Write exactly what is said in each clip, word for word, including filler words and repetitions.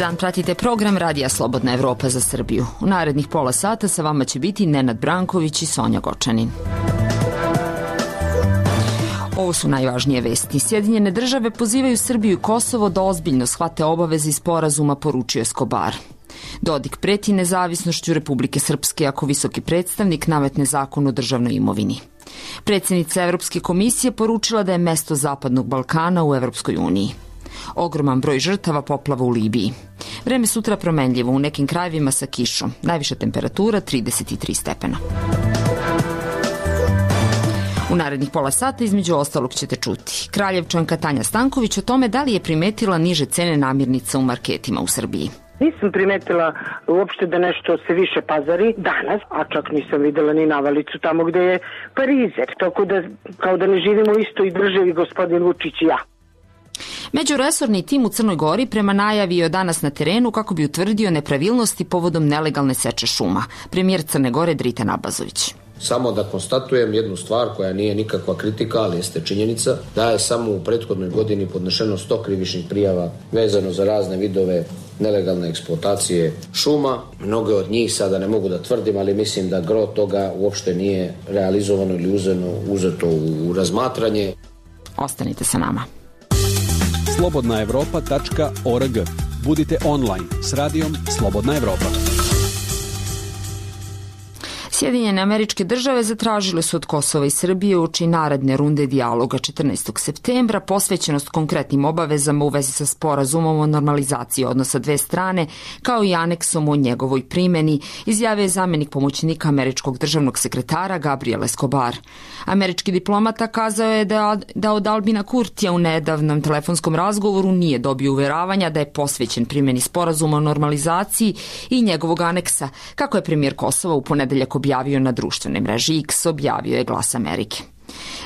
dan, pratite program Radija Slobodna Evropa za Srbiju. U narednih pola sata sa vama će biti Nenad Branković i Sonja Gočanin. Ovo su najvažnije vesti. Sjedinjene države pozivaju Srbiju i Kosovo da ozbiljno shvate obaveze iz sporazuma, poručio Escobar. Dodik preti nezavisnošću Republike Srpske ako visoki predstavnik nametne zakon o državnoj imovini. Predsjednica Evropske komisije poručila da je mesto Zapadnog Balkana u Evropskoj uniji. Ogroman broj žrtava poplava u Libiji. Vreme sutra promenljivo, u nekim krajevima sa kišom. Najviša temperatura trideset tri stepena. U narednih pola sata između ostalog ćete čuti Kraljevčanka Tanja Stanković o tome da li je primetila niže cene namirnica u marketima u Srbiji. Nisam primetila uopšte da nešto se više pazari danas, a čak nisam videla ni navalicu tamo gde je parizer. Tako da, kao da ne živimo u istoj državi, gospodin Vučić i ja. Međuresorni tim u Crnoj Gori prema najavi je danas na terenu kako bi utvrdio nepravilnosti povodom nelegalne seče šuma. Premijer Crne Gore Dritan Abazović. Samo da konstatujem jednu stvar koja nije nikakva kritika, ali jeste činjenica, da je samo u prethodnoj godini podnešeno sto krivičnih prijava vezano za razne vidove nelegalne eksploatacije šuma. Mnoge od njih sada ne mogu da tvrdim, ali mislim da gro toga uopšte nije realizovano ili uzeno, uzeto u razmatranje. Ostanite sa nama. slobodna evropa tačka org. Budite online s radijom Slobodna Evropa. Sjedinjene Američke Države zatražile su od Kosova i Srbije uoči naredne runde dijaloga četrnaestog septembra posvećenost konkretnim obavezama u vezi sa sporazumom o normalizaciji odnosa dve strane, kao i aneksom o njegovoj primjeni, izjavio je zamjenik pomoćnika američkog državnog sekretara Gabriel Escobar. Američki diplomata kazao je da, da od Albina Kurtija u nedavnom telefonskom razgovoru nije dobio uveravanja da je posvećen primjeni sporazuma o normalizaciji i njegovog aneksa, kako je premijer Kosova u ponedeljak objavio na društvenoj mreži X, objavio je Glas Amerike.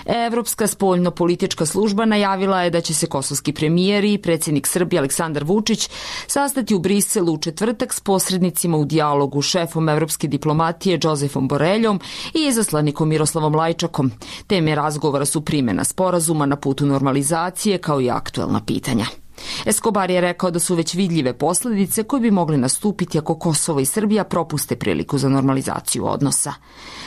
Evropska spoljno-politička služba najavila je da će se kosovski premijer i predsjednik Srbije Aleksandar Vučić sastati u Briselu u četvrtak s posrednicima u dijalogu, šefom evropske diplomatije Josefom Boreljom i izaslanikom Miroslavom Lajčakom. Teme razgovora su primjena sporazuma na putu normalizacije kao i aktuelna pitanja. Escobar je rekao da su već vidljive posljedice koje bi mogle nastupiti ako Kosovo i Srbija propuste priliku za normalizaciju odnosa.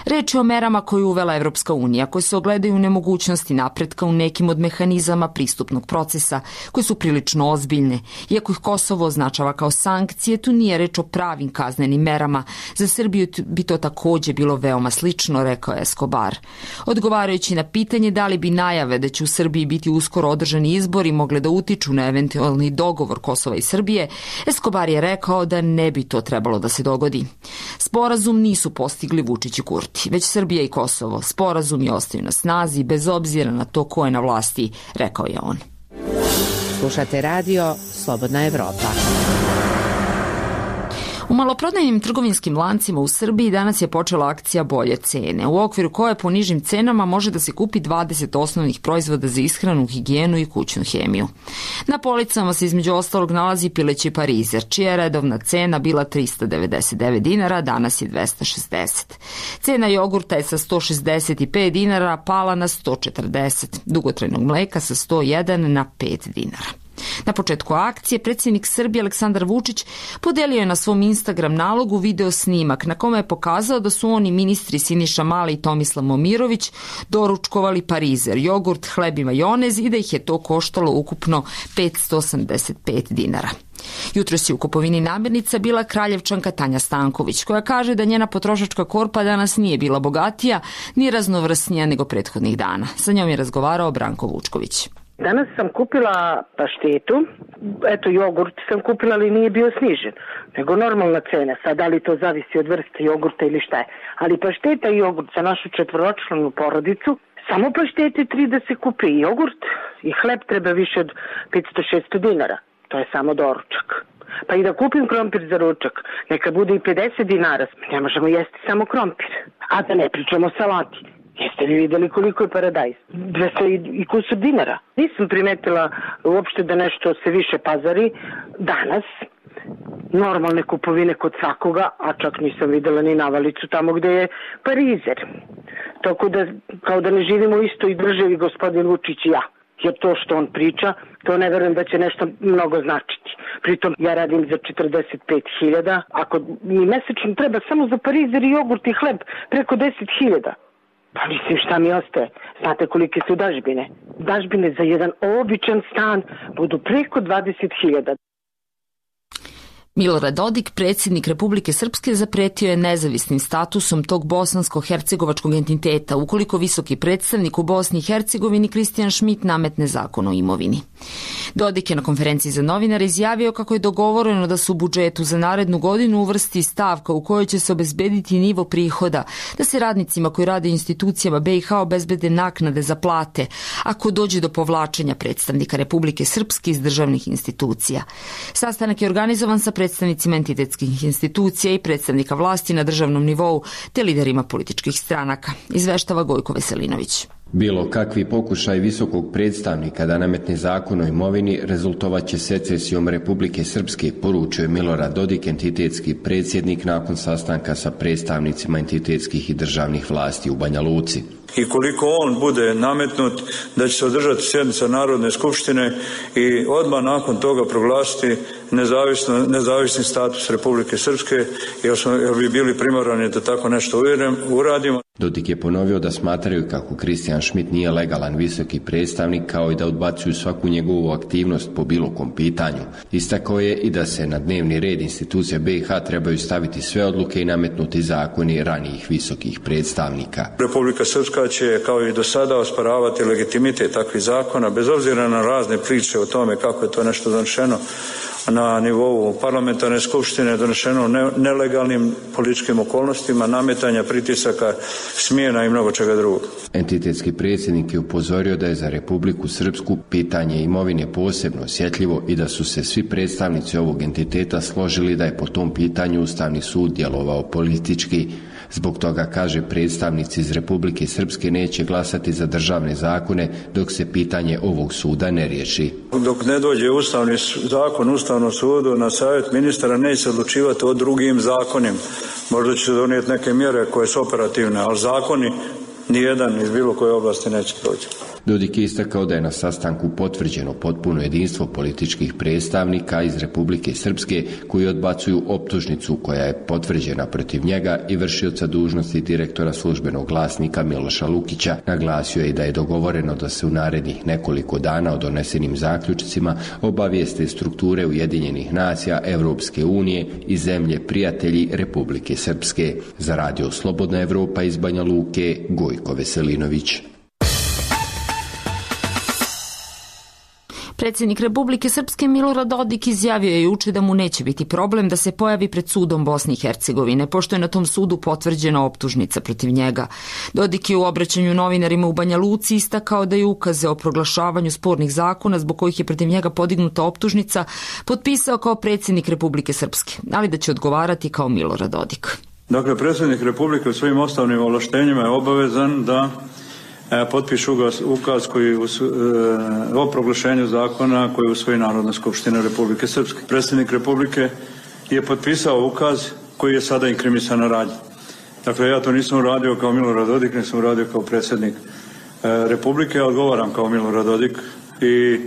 Reč je o merama koje je uvela Evropska unija, koje se ogledaju u nemogućnosti napretka u nekim od mehanizama pristupnog procesa, koje su prilično ozbiljne. Iako ih Kosovo označava kao sankcije, tu nije reč o pravim kaznenim merama. Za Srbiju bi to također bilo veoma slično, rekao je Escobar. Odgovarajući na pitanje da li bi najave da će u Srbiji biti uskoro održani izbori mogle da utiču na eventualni dogovor Kosova i Srbije, Escobar je rekao da ne bi to trebalo da se dogodi. Sporazum nisu postigli Vučić i Kurti, već Srbija i Kosovo. Sporazum je ostaju na snazi bez obzira na to ko je na vlasti, rekao je on. Slušate radio Slobodna Evropa. U maloprodajnim trgovinskim lancima u Srbiji danas je počela akcija bolje cene, u okviru koje po nižim cenama može da se kupi dvadeset osnovnih proizvoda za ishranu, higijenu i kućnu hemiju. Na policama se između ostalog nalazi pileći parizer, čija je redovna cena bila trista devedeset devet dinara, danas je dvesta šezdeset. Cena jogurta je sa sto šezdeset pet dinara pala na sto četrdeset, dugotrajnog mleka sa sto jedan na pet dinara. Na početku akcije predsjednik Srbije Aleksandar Vučić podelio je na svom Instagram nalogu video snimak na kome je pokazao da su oni ministri Siniša Mali i Tomislav Momirović doručkovali parizer, jogurt, hleb i majonez i da ih je to koštalo ukupno petsto osamdeset pet dinara. Jutros je u kupovini namirnica bila Kraljevčanka Tanja Stanković, koja kaže da njena potrošačka korpa danas nije bila bogatija ni raznovrsnija nego prethodnih dana. Sa njom je razgovarao Branko Vučković. Danas sam kupila paštetu, eto jogurt sam kupila, ali nije bio snižen, nego normalna cena, sad da li to zavisi od vrste jogurta ili šta je. Ali pašteta i jogurt za našu četvoročlanu porodicu, samo paštete tri da se kupi i jogurt i hleb treba više od petsto šesto dinara, to je samo doručak. Pa i da kupim krompir za ručak, neka bude i pedeset dinara, ne možemo jesti samo krompir, a da ne pričamo o salati. Jeste li vidjeli koliko je paradajz? dvesta i kusur dinara. Nisam primetila uopšte da nešto se više pazari danas. Normalne kupovine kod svakoga, a čak nisam vidjela ni navalicu tamo gde je parizer. Tako da, kao da ne živimo u istoj državi, gospodin Vučić i ja. Jer to što on priča, to ne verujem da će nešto mnogo značiti. Pritom ja radim za četrdeset pet hiljada, ako mi mesečno treba samo za parizer i jogurt i hleb preko deset hiljada. Pa mislim šta mi ostaje? Znate kolike su dažbine? Dažbine za jedan običan stan budu preko dvadeset hiljada. Milorad Dodik, predsjednik Republike Srpske, zapretio je nezavisnim statusom tog bosansko-hercegovačkog entiteta ukoliko visoki predstavnik u Bosni i Hercegovini Kristijan Šmit nametne zakon o imovini. Dodik je na konferenciji za novinare izjavio kako je dogovoreno da se u budžetu za narednu godinu uvrsti stavka u kojoj će se obezbediti nivo prihoda, da se radnicima koji rade u institucijama B i H obezbede naknade za plate ako dođe do povlačenja predstavnika Republike Srpske iz državnih institucija. Sastanak je organizovan sa predstavnicima entitetskih institucija i predstavnika vlasti na državnom nivou te liderima političkih stranaka, izveštava Gojko Veselinović. Bilo kakvi pokušaj visokog predstavnika da nametne zakon o imovini rezultovat će secesijom Republike Srpske, poručio je Milorad Dodik, entitetski predsjednik, nakon sastanka sa predstavnicima entitetskih i državnih vlasti u Banja Luci. I koliko on bude nametnut, da će se održati sjednica Narodne skupštine i odmah nakon toga proglasiti nezavisno, nezavisni status Republike Srpske, jer, smo, jer bi bili primorani da tako nešto uradimo. Dodik je ponovio da smatraju kako Kristijan Šmit nije legalan visoki predstavnik, kao i da odbacuju svaku njegovu aktivnost po bilo kom pitanju. Istakao je i da se na dnevni red institucija B i H trebaju staviti sve odluke i nametnuti zakoni ranijih visokih predstavnika. Republika Srpska će, kao i do sada, osporavati legitimitet takvih zakona, bez obzira na razne priče o tome kako je to nešto donošeno na nivou parlamentarne skupštine, donošeno ne, nelegalnim političkim okolnostima, nametanja, pritisaka, smjena i mnogo čega drugog. Entitetski predsjednik je upozorio da je za Republiku Srpsku pitanje imovine posebno osjetljivo i da su se svi predstavnici ovog entiteta složili da je po tom pitanju Ustavni sud djelovao politički. Zbog toga, kaže, predstavnici iz Republike Srpske neće glasati za državne zakone dok se pitanje ovog suda ne riješi. Dok ne dođe Ustavni zakon Ustavnom sudu na savjet ministara, neće se odlučivati o drugim zakonima. Možda će se donijeti neke mjere koje su operativne, ali zakoni nijedan iz bilo koje oblasti neće proći. Dodik je istakao da je na sastanku potvrđeno potpuno jedinstvo političkih predstavnika iz Republike Srpske koji odbacuju optužnicu koja je potvrđena protiv njega i vršioca dužnosti direktora službenog glasnika Miloša Lukića. Naglasio je i da je dogovoreno da se u narednih nekoliko dana o donesenim zaključcima obavijeste strukture Ujedinjenih nacija, Evropske unije i zemlje prijatelji Republike Srpske. Za radio Slobodna Evropa iz Banja Luke, Gojko Veselinović. Predsjednik Republike Srpske Milorad Dodik izjavio je juče da mu neće biti problem da se pojavi pred sudom Bosne i Hercegovine, pošto je na tom sudu potvrđena optužnica protiv njega. Dodik je u obraćanju novinarima u Banja Luci istakao da je ukaze o proglašavanju spornih zakona zbog kojih je protiv njega podignuta optužnica potpisao kao predsjednik Republike Srpske, ali da će odgovarati kao Milorad Dodik. Dakle, predsjednik Republike u svojim ostavnim ovlaštenjima je obavezan da potpišu ukaz koji o proglašenju zakona koji usvoji Narodna skupština Republike Srpske. Predsjednik Republike je potpisao ukaz koji je sada inkrimisan radnji. Dakle, ja to nisam uradio kao Milorad Dodik, nisam uradio kao predsjednik Republike, odgovaram kao Milorad Dodik i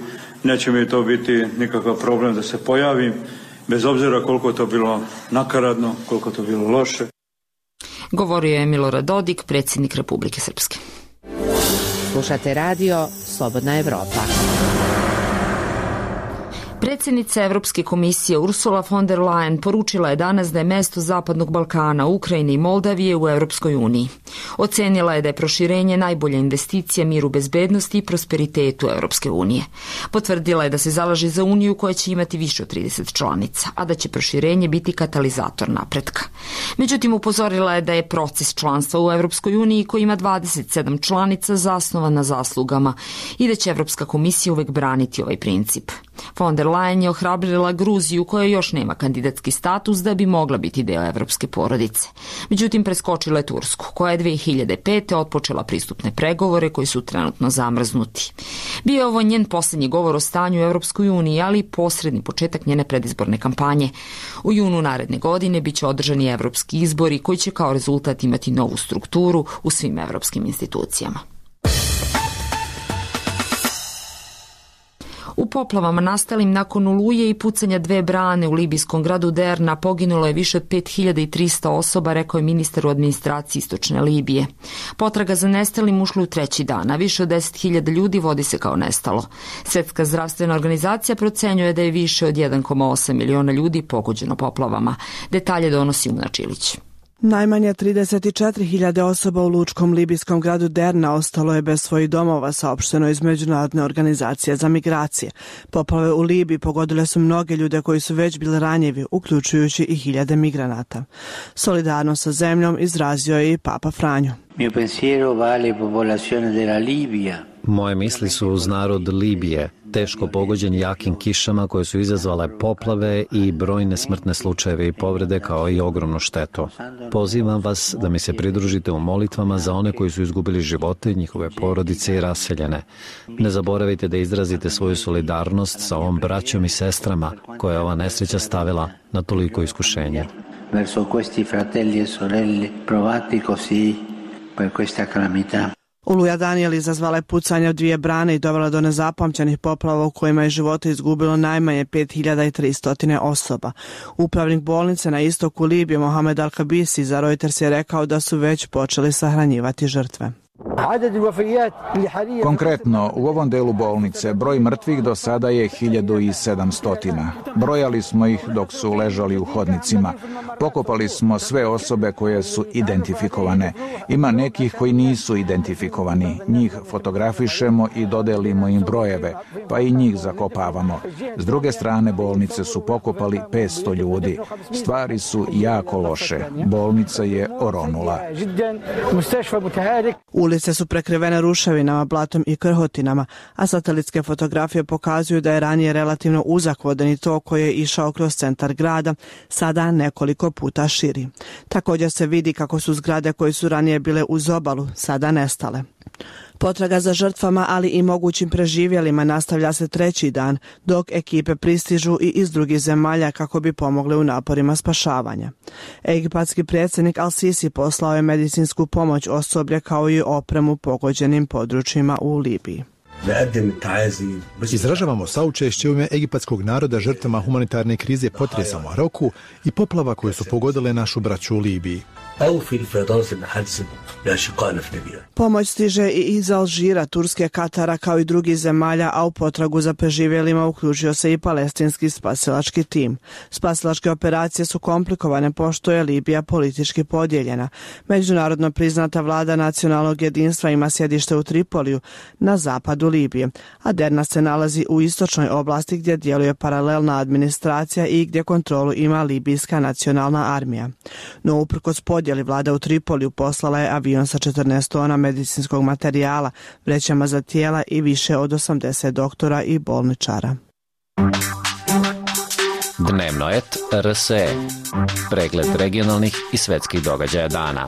neće mi to biti nikakav problem da se pojavim, bez obzira koliko to bilo nakaradno, koliko to bilo loše. Govorio je Milorad Dodik, predsjednik Republike Srpske. Slušate radio Slobodna Evropa. Predsjednica Evropske komisije Ursula von der Leyen poručila je danas da je mjesto Zapadnog Balkana, Ukrajine i Moldavije u Europskoj uniji. Ocenila je da je proširenje najbolja investicija miru, bezbednosti i prosperitetu Europske unije. Potvrdila je da se zalaže za uniju koja će imati više od trideset članica, a da će proširenje biti katalizator napretka. Međutim, upozorila je da je proces članstva u Europskoj uniji koji ima dvadeset sedam članica zasnovan na zaslugama i da će Evropska komisija uvek braniti ovaj princip. Von der Leyen je ohrabrila Gruziju koja još nema kandidatski status da bi mogla biti deo evropske porodice. Međutim, preskočila je Tursku, koja je dve hiljade pete otpočela pristupne pregovore koji su trenutno zamrznuti. Bio je ovo njen posljednji govor o stanju u Evropskoj uniji, ali i posredni početak njene predizborne kampanje. U junu naredne godine biće održani evropski izbori koji će kao rezultat imati novu strukturu u svim evropskim institucijama. U poplavama nastalim nakon oluje i pucanja dve brane u libijskom gradu Derna poginulo je više od pet hiljada trista osoba, rekao je ministar u administraciji istočne Libije. Potraga za nestalim ušla u treći dan, a više od deset hiljada ljudi vodi se kao nestalo. Svetska zdravstvena organizacija procenjuje da je više od jedan zarez osam miliona ljudi pogođeno poplavama. Detalje donosi Una Čilić. Najmanje trideset četiri hiljade osoba u lučkom libijskom gradu Derna ostalo je bez svojih domova, saopšteno iz Međunarodne organizacije za migracije. Poplave u Libiji pogodile su mnoge ljude koji su već bili ranjivi, uključujući i hiljade migranata. Solidarnost sa zemljom izrazio je i Papa Franjo. Mio pensiero va alle popolazioni della Libia. Moje misli su uz narod Libije, teško pogođen jakim kišama koje su izazvale poplave i brojne smrtne slučajeve i povrede kao i ogromnu štetu. Pozivam vas da mi se pridružite u molitvama za one koji su izgubili živote, njihove porodice i raseljene. Ne zaboravite da izrazite svoju solidarnost sa ovom braćom i sestrama koje je ova nesreća stavila na toliko iskušenje. Verso questi fratelli e sorelle provati così per questa calamità. Oluja Daniel izazvala je pucanje u dvije brane i dovela do nezapamćenih poplava u kojima je živote izgubilo najmanje pet hiljada tristo osoba. Upravnik bolnice na istoku Libije Mohamed Al-Kabisi za Reuters je rekao da su već počeli sahranjivati žrtve. Konkretno, u ovom delu bolnice broj mrtvih do sada je hiljadu sedamsto. Brojali smo ih dok su ležali u hodnicima. Pokopali smo sve osobe koje su identifikovane. Ima nekih koji nisu identifikovani. Njih fotografišemo i dodelimo im brojeve, pa i njih zakopavamo. S druge strane bolnice su pokopali petsto ljudi. Stvari su jako loše. Bolnica je oronula. Ulice su prekrivene ruševinama, blatom i krhotinama, a satelitske fotografije pokazuju da je ranije relativno uzak vodeni tok koji je išao kroz centar grada, sada nekoliko puta širi. Također se vidi kako su zgrade koje su ranije bile uz obalu sada nestale. Potraga za žrtvama, ali i mogućim preživjelima nastavlja se treći dan, dok ekipe pristižu i iz drugih zemalja kako bi pomogle u naporima spašavanja. Egipatski predsjednik Al-Sisi poslao je medicinsku pomoć osoblje kao i opremu pogođenim područjima u Libiji. Izražavamo saučešće u ime egipatskog naroda žrtvama humanitarne krize potresa u Maroku i poplava koje su pogodile našu braću u Libiji. Pomoć stiže i iz Alžira, Turske, Katara kao i drugih zemalja, a u potragu za preživjelima uključio se i palestinski spasilački tim. Spasilačke operacije su komplikovane pošto je Libija politički podijeljena. Međunarodno priznata vlada nacionalnog jedinstva ima sjedište u Tripoliju na zapadu Libije, a Derna se nalazi u istočnoj oblasti gdje djeluje paralelna administracija i gdje kontrolu ima libijska nacionalna armija. No uprkos podjeli vlada u Tripoliju poslala je avion sa četrnaest tona medicinskog materijala, vrećama za tijela i više od osamdeset doktora i bolničara. Dnevnoet R S E. Pregled regionalnih i svetskih događaja dana.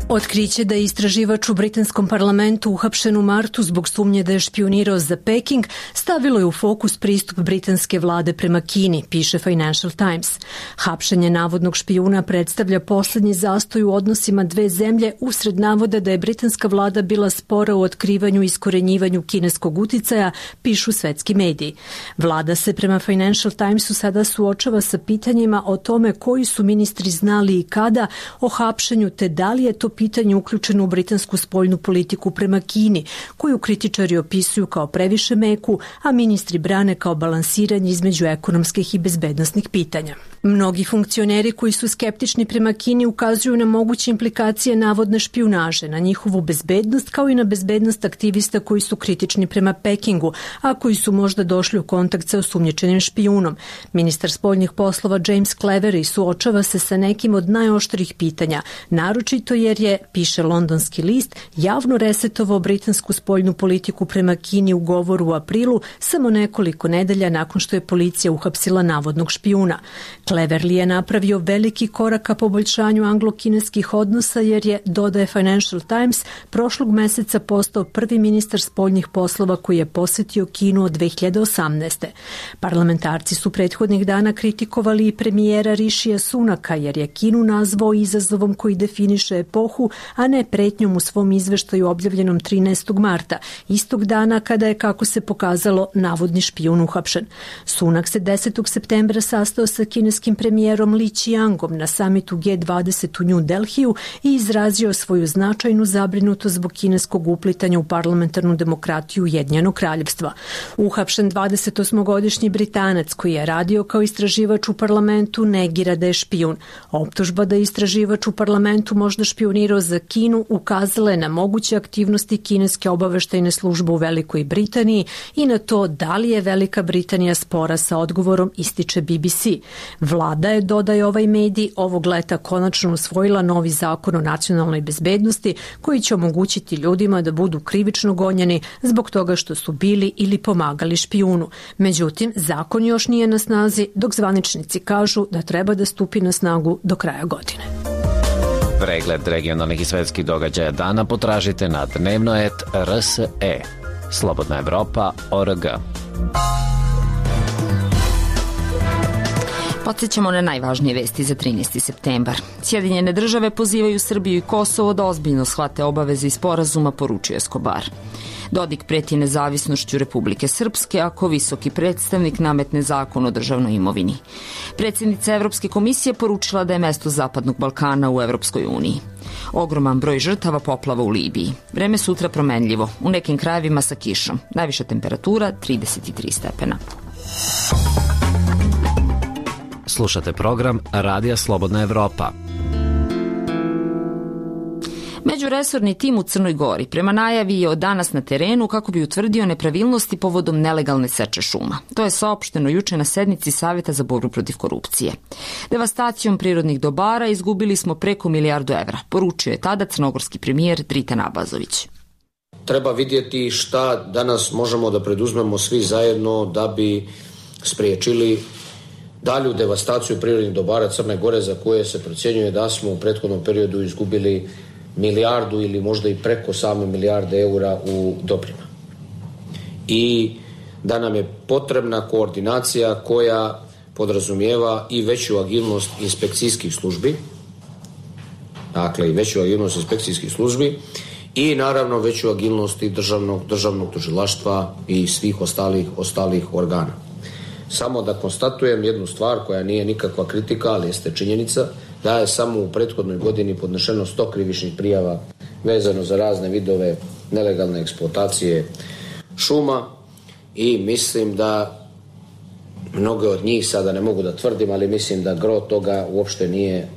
Otkriće da je istraživač u britanskom parlamentu uhapšen u martu zbog sumnje da je špijunirao za Peking stavilo je u fokus pristup britanske vlade prema Kini, piše Financial Times. Hapšenje navodnog špijuna predstavlja posljednji zastoj u odnosima dve zemlje usred navoda da je britanska vlada bila spora u otkrivanju i iskorenjivanju kineskog uticaja, pišu svetski mediji. Vlada se prema Financial Timesu sada suočava sa pitanjima o tome koji su ministri znali i kada o hapšenju, te da li je to pitanje uključeno u britansku spoljnu politiku prema Kini, koju kritičari opisuju kao previše meku, a ministri brane kao balansiranje između ekonomskih i bezbednosnih pitanja. Mnogi funkcioneri koji su skeptični prema Kini ukazuju na moguće implikacije navodne špijunaže, na njihovu bezbednost kao i na bezbednost aktivista koji su kritični prema Pekingu, a koji su možda došli u kontakt sa osumnjičenim špijunom. Ministar spoljnih poslova James Cleverly suočava se sa nekim od najoštrijih pitanja, naročito jer je, piše londonski list, javno resetovao britansku spoljnu politiku prema Kini u govoru u aprilu, samo nekoliko nedelja nakon što je policija uhapsila navodnog špijuna. Cleverly je napravio veliki korak ka poboljšanju anglo-kineskih odnosa jer je, dodaje Financial Times, prošlog meseca postao prvi ministar spoljnih poslova koji je posjetio Kinu od dve hiljade osamnaeste. Parlamentarci su prethodnih dana kritikovali i premijera Rishija Sunaka jer je Kinu nazvao izazovom koji definiše epohu duhu, a ne pretnjom u svom izveštaju objavljenom trinaestog marta, istog dana kada je, kako se pokazalo, navodni špijun uhapšen. Sunak se desetog septembra sastao sa kineskim premijerom Li Qiangom na samitu G dvadeset u New Delhiju i izrazio svoju značajnu zabrinutost zbog kineskog uplitanja u parlamentarnu demokratiju Ujedinjenog kraljevstva. Uhapšen dvadesetosmogodišnji Britanac koji je radio kao istraživač u parlamentu negira da je špijun. Optužba da je istraživač u parlamentu možda špionirao za Kinu ukazala je na moguće aktivnosti kineske obaveštajne službe u Velikoj Britaniji i na to da li je Velika Britanija spora sa odgovorom, ističe B B C. Vlada je, dodaje ovaj medij, ovog leta konačno usvojila novi zakon o nacionalnoj bezbednosti koji će omogućiti ljudima da budu krivično gonjeni zbog toga što su bili ili pomagali špijunu. Međutim, zakon još nije na snazi, dok zvaničnici kažu da treba da stupi na snagu do kraja godine. Pregled regionalnih i svetskih događaja dana potražite na dnevno et r s e. Slobodna Evropa, o r g. Podsjećamo na najvažnije vesti za trinaesti septembar. Sjedinjene države pozivaju Srbiju i Kosovo da ozbiljno shvate obaveze i sporazuma, poručuje Escobar. Dodik preti nezavisnošću Republike Srpske ako visoki predstavnik nametne zakon o državnoj imovini. Predsjednica Evropske komisije poručila da je mesto Zapadnog Balkana u Evropskoj uniji. Ogroman broj žrtava poplava u Libiji. Vreme sutra promenljivo, u nekim krajevima sa kišom. Najviša temperatura trideset tri stepena. Slušate program Radija Slobodna Evropa. Međuresorni tim u Crnoj Gori prema najavi je od danas na terenu kako bi utvrdio nepravilnosti povodom nelegalne seče šuma. To je saopšteno juče na sednici Saveta za borbu protiv korupcije. Devastacijom prirodnih dobara izgubili smo preko milijardu evra, poručio je tada crnogorski premijer Dritan Abazović. Treba vidjeti šta danas možemo da preduzmemo svi zajedno da bi spriječili dalju devastaciju prirodnih dobara Crne Gore za koje se procjenjuje da smo u prethodnom periodu izgubili milijardu ili možda i preko same milijarde eura u dobrima. I da nam je potrebna koordinacija koja podrazumijeva i veću agilnost inspekcijskih službi, dakle i veću agilnost inspekcijskih službi i naravno veću agilnost i državnog, državnog tužilaštva i svih ostalih, ostalih organa. Samo da konstatujem jednu stvar koja nije nikakva kritika, ali jeste činjenica, da je samo u prethodnoj godini podnešeno sto krivičnih prijava vezano za razne vidove nelegalne eksploatacije šuma i mislim da mnoge od njih, sada ne mogu da tvrdim, ali mislim da gro toga uopšte nije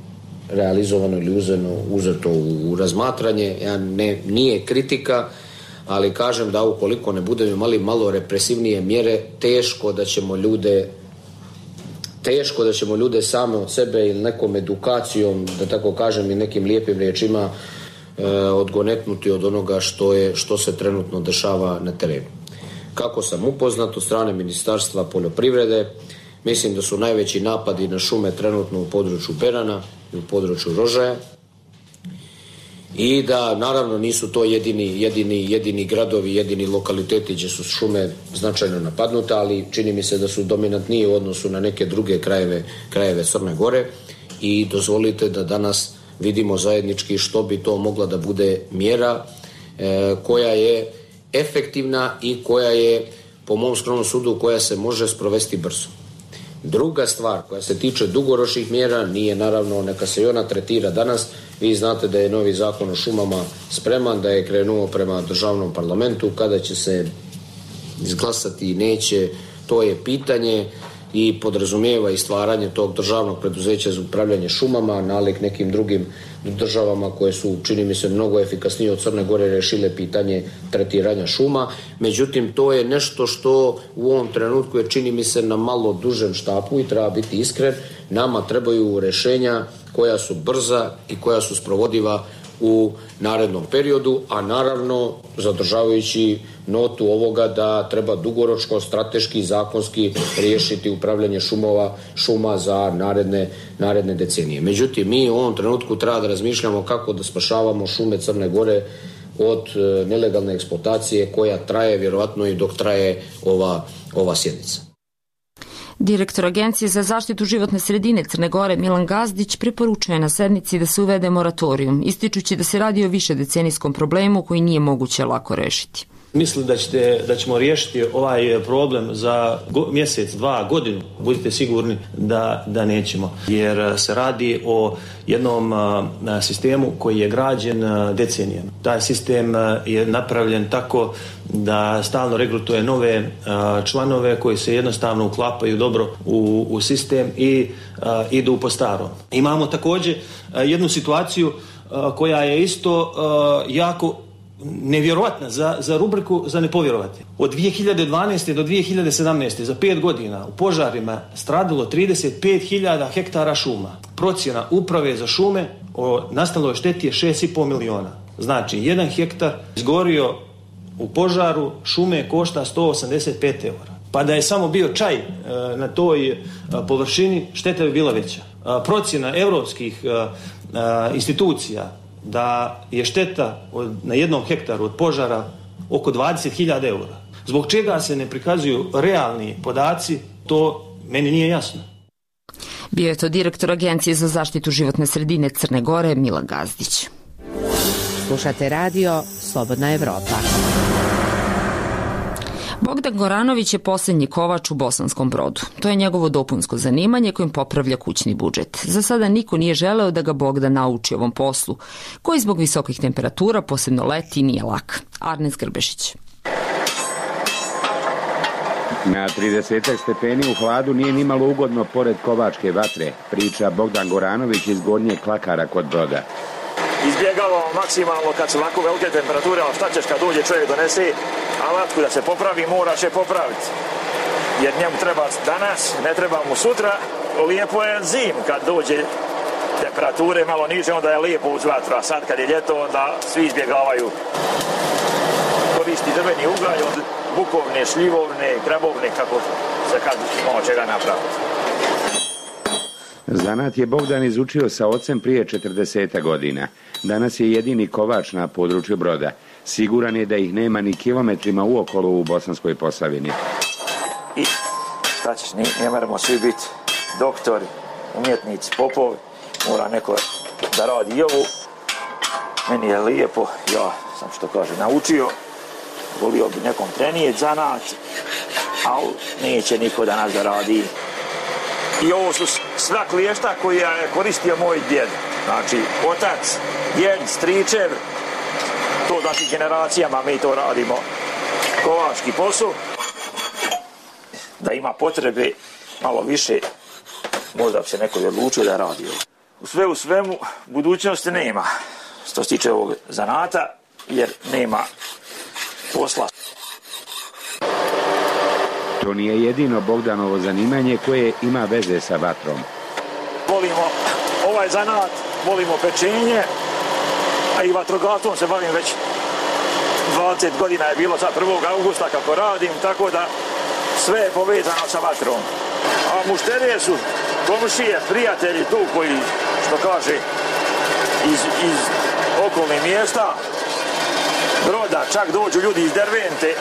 realizovano ili uzeno, uzeto u razmatranje. Ja ne, nije kritika, ali kažem da ukoliko ne budemo imali malo represivnije mjere, teško da ćemo ljude teško da ćemo ljude same od sebe ili nekom edukacijom, da tako kažem i nekim lijepim riječima e, odgonetnuti od onoga što je, što se trenutno dešava na terenu. Kako sam upoznat od strane Ministarstva poljoprivrede, mislim da su najveći napadi na šume trenutno u području Berana i u području Rožaja i da naravno nisu to jedini, jedini, jedini gradovi, jedini lokaliteti gdje su šume značajno napadnute, ali čini mi se da su dominantniji u odnosu na neke druge krajeve, krajeve Crne Gore i dozvolite da danas vidimo zajednički što bi to mogla da bude mjera e, koja je efektivna i koja je, po mom skromnom sudu, koja se može sprovesti brzo. Druga stvar koja se tiče dugoročnih mjera nije naravno, neka se i ona tretira danas. Vi znate da je novi zakon o šumama spreman, da je krenuo prema državnom parlamentu. Kada će se izglasati i neće, to je pitanje i podrazumijeva i stvaranje tog državnog preduzeća za upravljanje šumama, nalik nekim drugim državama koje su, čini mi se, mnogo efikasnije od Crne Gore rešile pitanje tretiranja šuma. Međutim, to je nešto što u ovom trenutku je, čini mi se, na malo dužem štapu i treba biti iskren. Nama trebaju rešenja koja su brza i koja su sprovodiva u narednom periodu, a naravno zadržavajući notu ovoga da treba dugoročno, strateški, zakonski riješiti upravljanje šumova, šuma za naredne, naredne decenije. Međutim, mi u ovom trenutku treba da razmišljamo kako da spašavamo šume Crne Gore od nelegalne eksploatacije koja traje vjerovatno i dok traje ova, ova sjednica. Direktor Agencije za zaštitu životne sredine Crne Gore Milan Gazdić preporučuje na sednici da se uvede moratorijum, ističući da se radi o višedecenijskom problemu koji nije moguće lako rešiti. Mislim da, ćete, da ćemo riješiti ovaj problem za go, mjesec, dva, godinu. Budite sigurni da, da nećemo. Jer se radi o jednom a, sistemu koji je građen a, decenijama. Taj sistem a, je napravljen tako da stalno regrutuje nove a, članove koji se jednostavno uklapaju dobro u, u sistem i a, idu po starom. Imamo također a, jednu situaciju a, koja je isto a, jako nevjerovatna za, za rubriku za nepovjerovati. Od dvije hiljade dvanaeste do dvije hiljade sedamnaeste za pet godina u požarima stradilo trideset pet hiljada hektara šuma. Procjena uprave za šume o nastaloj šteti je šest i pol miliona. Znači, jedan hektar izgorio u požaru šume košta sto osamdeset pet eura. Pa da je samo bio čaj e, na toj e, površini, šteta bi bila veća. E, procjena europskih e, e, institucija da je šteta od, na jednom hektaru od požara oko dvadeset hiljada eura. Zbog čega se ne prikazuju realni podaci, to meni nije jasno. Bio je to direktor Agencije za zaštitu životne sredine Crne Gore Milan Gazdić. Slušate radio Slobodna Evropa. Bogdan Goranović je posljednji kovač u Bosanskom Brodu. To je njegovo dopunsko zanimanje kojim popravlja kućni budžet. Za sada niko nije želeo da ga Bogdan nauči ovom poslu, koji zbog visokih temperatura, posebno leti, nije lak. Arnes Grbešić. Na trideset stepeni u hladu nije nimalo ugodno pored kovačke vatre, priča Bogdan Goranović iz Gornjeg Klakara kod Broda. Izbjegavamo maksimalno kad su ovako velike temperature, ali šta ćeš kad dođe čovjek donese alatku da se popravi, mora će popraviti. Jer njemu treba danas, ne treba mu sutra. Lijepo je zim kad dođe temperature malo niže, onda je lijepo uz vatru, a sad kad je ljeto, onda svi izbjegavaju. Koristi drveni ugalj od bukovne, šljivovne, krabovne, kako se kad malo čega napraviti. Zanat je Bogdan izučio sa ocem prije četrdeset godina. Danas je jedini kovač na području Broda. Siguran je da ih nema ni kilometrima uokolo u Bosanskoj Posavini. I šta ćeš, ne, ne moramo svi biti doktori, umjetnici, popovi. Mora neko da radi i ovu. Meni je lijepo, ja sam što kaže naučio. Volio bi nekom trenijeti zanat, ali neće niko da nas da radi. I ovo su sva kliješta koja je koristio moj djed. Znači, otac, djed, stričev, to znači generacijama mi to radimo. Kovački posao. Da ima potrebe malo više, možda bi se neko odlučio da radi. U sve u svemu, budućnosti nema. Što se tiče ovog zanata, jer nema posla. To nije jedino Bogdanovo zanimanje koje ima veze sa vatrom. Volimo ovaj zanat, volimo pečenje, a i vatrogastvom se bavim već dvadeset godina je bilo sad prvog augusta kako radim, tako da sve je povezano sa vatrom. A mušterije su komšije, prijatelji tu koji, što kaže, iz, iz okolnih mjesta, Broda, čak dođu ljudi iz Dervente.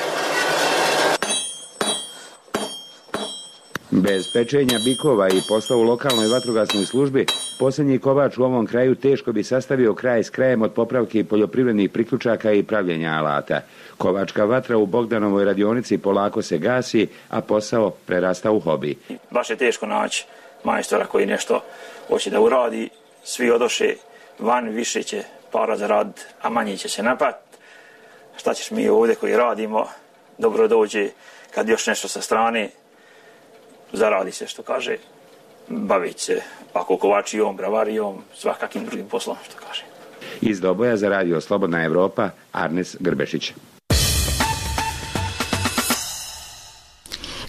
Bez pečenja bikova i posla u lokalnoj vatrogasnoj službi, posljednji kovač u ovom kraju teško bi sastavio kraj s krajem od popravke poljoprivrednih priključaka i pravljenja alata. Kovačka vatra u Bogdanovoj radionici polako se gasi, a posao prerasta u hobi. Baš je teško naći majstora koji nešto hoće da uradi, svi odoše van, više će para zaraditi, a manje će se napati. Šta ćeš mi ovdje koji radimo, dobro dođe kad još nešto sa strane, zaradi se, što kaže, baviti se ako kovačijom, bravarijom, svakakim drugim poslom, što kaže. Iz Doboja za radio Slobodna Evropa, Arnes Grbešić.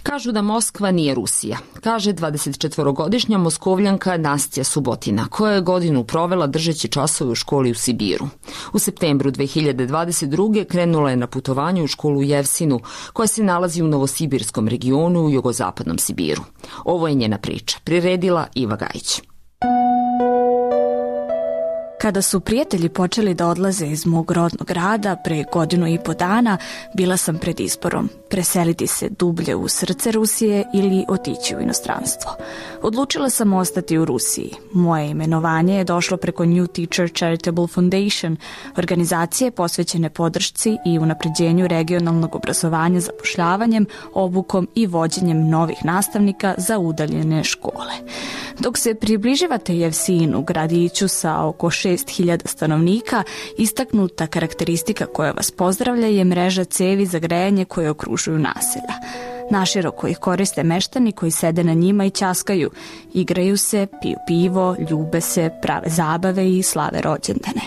Kažu da Moskva nije Rusija, kaže dvadesetčetvorogodišnja Moskovljanka Nastja Subotina, koja je godinu provela držeći časove u školi u Sibiru. U septembru dve hiljade dvadeset druge krenula je na putovanje u školu u Jevsinu, koja se nalazi u Novosibirskom regionu u jugozapadnom Sibiru. Ovo je njena priča, priredila Iva Gajić. Kada su prijatelji počeli da odlaze iz mog rodnog grada pre godinu i po dana, bila sam pred izborom preseliti se dublje u srce Rusije ili otići u inostranstvo. Odlučila sam ostati u Rusiji. Moje imenovanje je došlo preko New Teacher Charitable Foundation, organizacije posvećene podršci i unapređenju regionalnog obrazovanja zapošljavanjem, obukom i vođenjem novih nastavnika za udaljene škole. Dok se približavate Jevsinu, gradiću sa oko šest hiljada stanovnika, istaknuta karakteristika koja vas pozdravlja je mreža cevi za grejanje koje okružuju naselja. Naširoko ih koriste meštani koji sede na njima i ćaskaju, igraju se, piju pivo, ljube se, prave zabave i slave rođendane.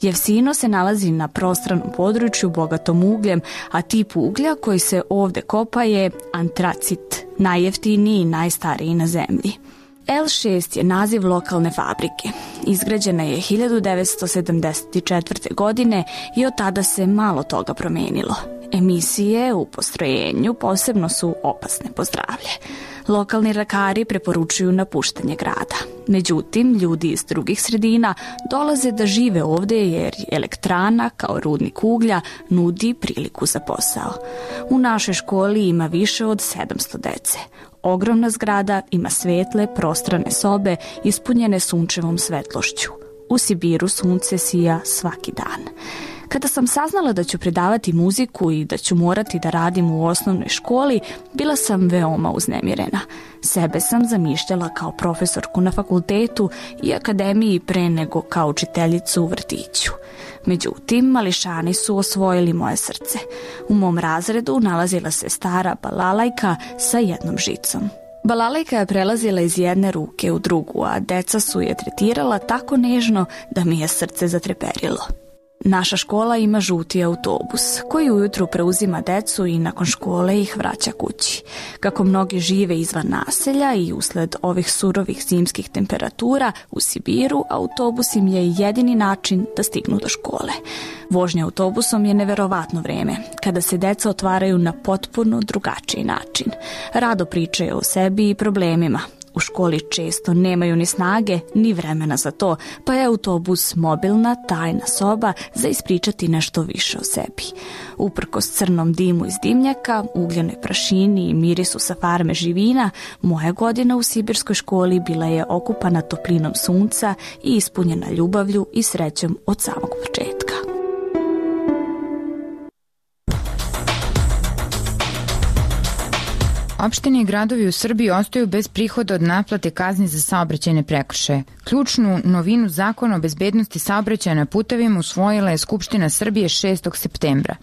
Jevsino se nalazi na prostranom području bogatom ugljem, a tip uglja koji se ovde kopa je antracit, najjeftiniji i najstariji na zemlji. el šest je naziv lokalne fabrike. Izgrađena je hiljadu devetsto sedamdeset četvrte. godine i od tada se malo toga promenilo. Emisije u postrojenju posebno su opasne po zdravlje. Lokalni lekari preporučuju napuštanje grada. Međutim, ljudi iz drugih sredina dolaze da žive ovde jer elektrana kao rudnik uglja nudi priliku za posao. U našoj školi ima više od sedamsto dece. Ogromna zgrada ima svetle, prostrane sobe ispunjene sunčevom svetlošću. U Sibiru sunce sija svaki dan. Kada sam saznala da ću predavati muziku i da ću morati da radim u osnovnoj školi, bila sam veoma uznemirena. Sebe sam zamišljala kao profesorku na fakultetu i akademiji pre nego kao učiteljicu u vrtiću. Međutim, mališani su osvojili moje srce. U mom razredu nalazila se stara balalajka sa jednom žicom. Balalajka je prelazila iz jedne ruke u drugu, a deca su je tretirala tako nežno da mi je srce zatreperilo. Naša škola ima žuti autobus koji ujutru preuzima decu i nakon škole ih vraća kući. Kako mnogi žive izvan naselja i usled ovih surovih zimskih temperatura u Sibiru, autobus im je jedini način da stignu do škole. Vožnja autobusom je neverovatno vreme, kada se deca otvaraju na potpuno drugačiji način. Rado pričaju o sebi i problemima. U školi često nemaju ni snage, ni vremena za to, pa je autobus mobilna, tajna soba za ispričati nešto više o sebi. Uprkos crnom dimu iz dimnjaka, ugljenoj prašini i mirisu sa farme živina, moja godina u sibirskoj školi bila je okupana toplinom sunca i ispunjena ljubavlju i srećom od samog početka. Opštine i gradovi u Srbiji ostaju bez prihoda od naplate kazni za saobraćajne prekršaje. Ključnu novinu Zakona o bezbednosti saobraćaja na putevima usvojila je Skupština Srbije šestog septembra.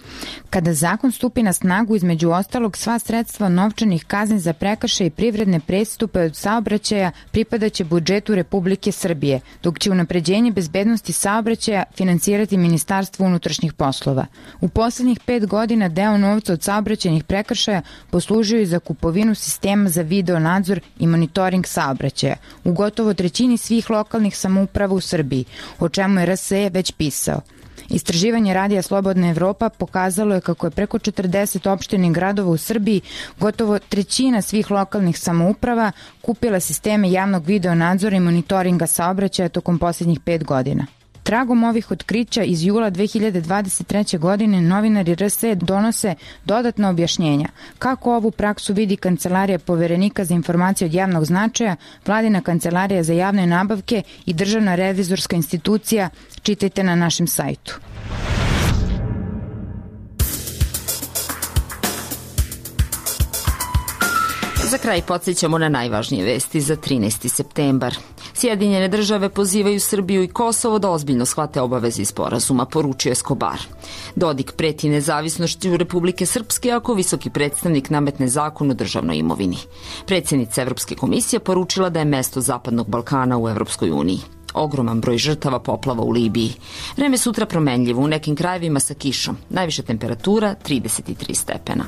Kada zakon stupi na snagu, između ostalog, sva sredstva novčanih kazni za prekršaje i privredne prestupe od saobraćaja pripadaće budžetu Republike Srbije, dok će unapređenje bezbednosti saobraćaja finansirati Ministarstvo unutrašnjih poslova. U poslednjih pet godina deo novca od saobraćajnih prekršaja poslužio i za kupovinu sistema za video nadzor i monitoring saobraćaja u gotovo trećini svih lokalnih samouprava u Srbiji, o čemu je R S E već pisao. Istraživanje radija Slobodna Evropa pokazalo je kako je preko četrdeset opština i gradova u Srbiji, gotovo trećina svih lokalnih samouprava, kupila sisteme javnog video nadzora i monitoringa saobraćaja tokom posljednjih pet godina. Tragom ovih otkrića iz jula dve hiljade dvadeset treće. godine novinari R S E donose dodatna objašnjenja. Kako ovu praksu vidi Kancelarija poverenika za informacije od javnog značaja, Vladina kancelarija za javne nabavke i Državna revizorska institucija, čitajte na našem sajtu. Za kraj podsjećamo na najvažnije vesti za trinaesti septembar. Sjedinjene države pozivaju Srbiju i Kosovo da ozbiljno shvate obaveze iz sporazuma, poručio Escobar. Dodik preti nezavisnošću Republike Srpske ako visoki predstavnik nametne zakon o državnoj imovini. Predsjednica Evropske komisije poručila da je mesto Zapadnog Balkana u Evropskoj uniji. Ogroman broj žrtava poplava u Libiji. Vreme sutra promenljivo, u nekim krajevima sa kišom. Najviša temperatura trideset tri stepena.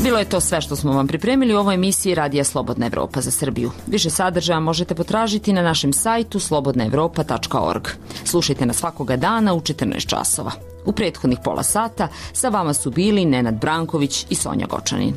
Bilo je to sve što smo vam pripremili u ovoj emisiji Radija Slobodna Evropa za Srbiju. Više sadržaja možete potražiti na našem sajtu slobodna evropa tačka org. Slušajte nas svakoga dana u četrnaest časova. U prethodnih pola sata sa vama su bili Nenad Branković i Sonja Gočanin.